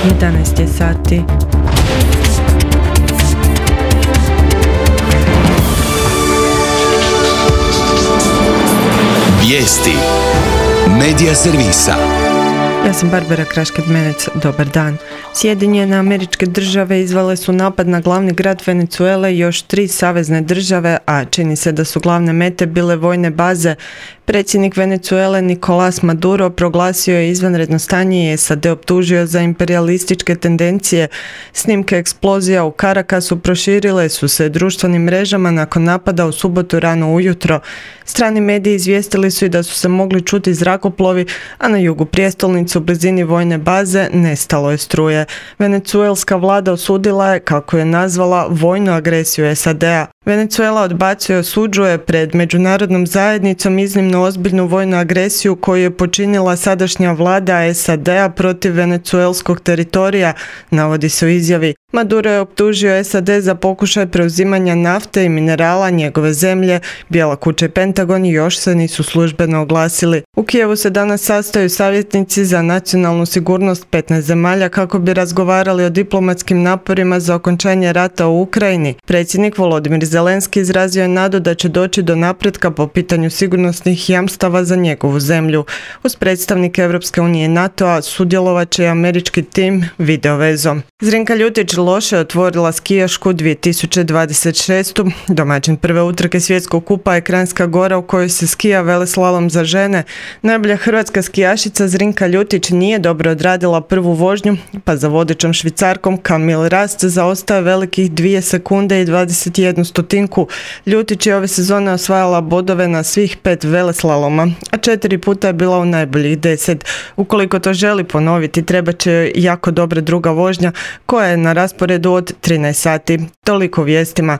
11 je sati. Vijesti Medija servisa. Ja sam Barbara Krašked-Menec, dobar dan. Sjedinjene Američke Države izvele su napad na glavni grad Venezuele i još 3 savezne države, a čini se da su glavne mete bile vojne baze. Predsjednik Venezuele Nicolás Maduro proglasio je izvanredno stanje i SAD optužio za imperijalističke tendencije. Snimke eksplozija u Caracasu proširile su se društvenim mrežama nakon napada u subotu rano ujutro. Strani mediji izvijestili su i da su se mogli čuti zrakoplovi, a na jugu prijestolnice u blizini vojne baze nestalo je struje. Venezuelska vlada osudila je, kako je nazvala, vojnu agresiju SAD-a. Venezuela odbacuje i osuđuje pred međunarodnom zajednicom iznimno ozbiljnu vojnu agresiju koju je počinila sadašnja vlada SAD-a protiv venezuelskog teritorija, navodi se u izjavi. Maduro je optužio SAD za pokušaj preuzimanja nafte i minerala njegove zemlje. Bijela kuća i Pentagon još se nisu službeno oglasili. U Kijevu se danas sastaju savjetnici za nacionalnu sigurnost 15 zemalja kako bi razgovarali o diplomatskim naporima za okončanje rata u Ukrajini. Predsjednik Volodimir Zelenski izrazio je nadu da će doći do napretka po pitanju sigurnosnih jamstava za njegovu zemlju. Uz predstavnike Europske unije i NATO-a sudjelovat će i američki tim videovezom. Zrinka Ljutić loše otvorila skijašku 2026. Domaćin prve utrke svjetskog kupa je Kranjska Gora u kojoj se skija veleslalom za žene. Najbolja hrvatska skijašica Zrinka Ljutić nije dobro odradila prvu vožnju, pa za vodećom Švicarkom Camille Rast zaostaje velikih 2 sekunde i 21 stotinku. Ljutić je ove sezone osvajala bodove na svih 5 veleslaloma, a 4 puta je bila u najboljih 10. Ukoliko to želi ponoviti, treba će joj jako dobra druga vožnja koja je na rasporedu od 13 sati. Toliko vijestima.